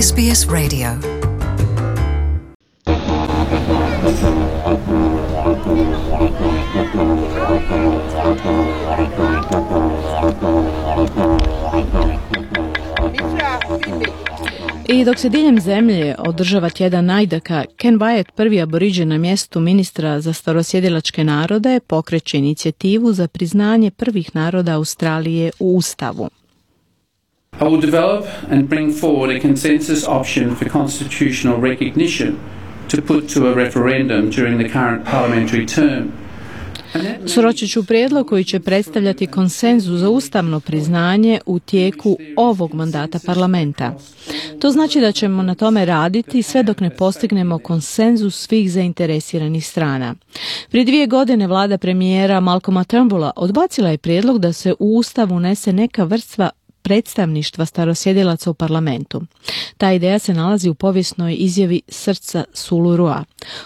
SBS Radio. I dok se diljem zemlje održava tjedan Najdaka, Ken Wyatt, prvi aboriđen na mjestu ministra za starosjedilačke narode, pokreće inicijativu za priznanje prvih naroda Australije u Ustavu. I will develop and bring forward a consensus option for constitutional recognition to put to a referendum during the current parliamentary term. Sročit ću prijedlog koji će predstavljati konsenzus za ustavno priznanje u tijeku ovog mandata parlamenta. To znači da ćemo na tome raditi sve dok ne postignemo konsenzus svih zainteresiranih strana. Prije 2 godine vlada premijera Malcolma Turnbulla odbacila je prijedlog da se u Ustav unese neka vrsta predstavništva starosjedilaca u parlamentu. Ta ideja se nalazi u povijesnoj izjavi Srca Sulurua.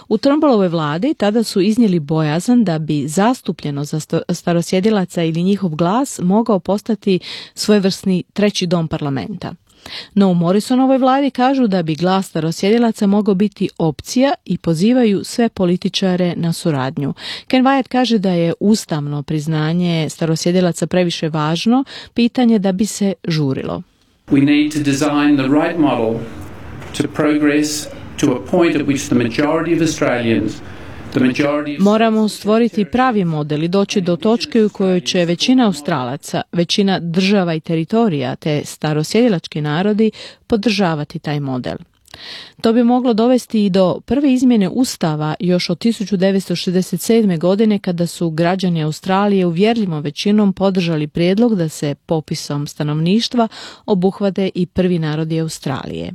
U Turnbullovoj vladi tada su iznijeli bojazan da bi zastupljenost starosjedilaca ili njihov glas mogao postati svojevrsni treći dom parlamenta. No u Morrisonovoj vladi kažu da bi glas starosjedilaca mogao biti opcija i pozivaju sve političare na suradnju. Ken Wyatt kaže da je ustavno priznanje starosjedilaca previše važno pitanje da bi se žurilo. We need to design the right model to progress to a point at which the majority of Australians Moramo stvoriti pravi model i doći do točke u kojoj će većina Australaca, većina država i teritorija te starosjedilački narodi podržavati taj model. To bi moglo dovesti i do prve izmjene Ustava još od 1967. godine kada su građani Australije uvjerljivom većinom podržali prijedlog da se popisom stanovništva obuhvate i prvi narodi Australije.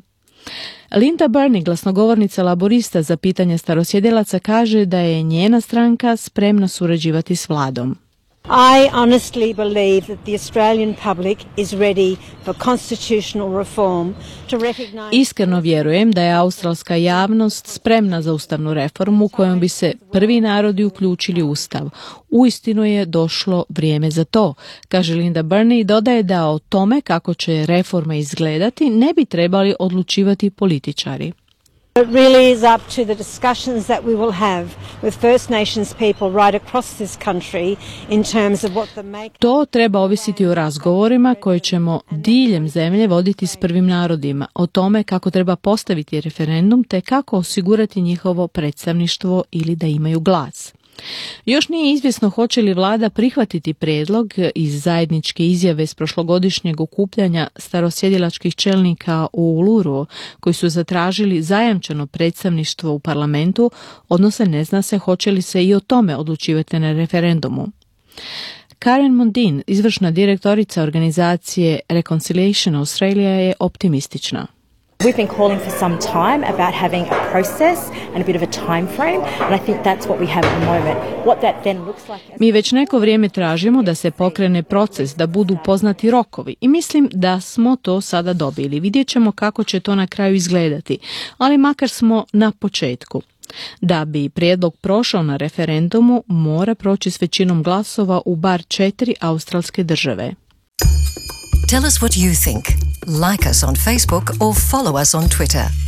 Linda Burney, glasnogovornica laborista za pitanje starosjedilaca, kaže da je njena stranka spremna surađivati s vladom. I honestly believe that the Australian public is ready for constitutional reform to recognize... Iskreno vjerujem da je australska javnost spremna za ustavnu reformu kojom bi se prvi narodi uključili u Ustav. Uistinu je došlo vrijeme za to, kaže Linda Burney i dodaje da o tome kako će reforma izgledati ne bi trebali odlučivati političari. It really is up to the discussions that we will have with First Nations people right across this country in terms of what the make... To treba ovisiti o razgovorima koje ćemo diljem zemlje voditi s prvim narodima, o tome kako treba postaviti referendum te kako osigurati njihovo predstavništvo ili da imaju glas. Još nije izvjesno hoće li vlada prihvatiti prijedlog iz zajedničke izjave s prošlogodišnjeg okupljanja starosjedilačkih čelnika u Uluru koji su zatražili zajamčeno predstavništvo u parlamentu, odnosno ne zna se hoće li se i o tome odlučivati na referendumu. Karen Mundine, izvršna direktorica organizacije Reconciliation Australia, je optimistična. We've been calling for some time about having a process and a bit of a time frame, and I think that's what we have at the moment. What that then looks like... Mi već neko vrijeme tražimo da se pokrene proces, da budu poznati rokovi i mislim da smo to sada dobili. Vidjet ćemo kako će to na kraju izgledati, ali makar smo na početku. Da bi prijedlog prošao na referendumu, mora proći s većinom glasova u bar 4 australske države. Tell us what you think. Like us on Facebook or follow us on Twitter.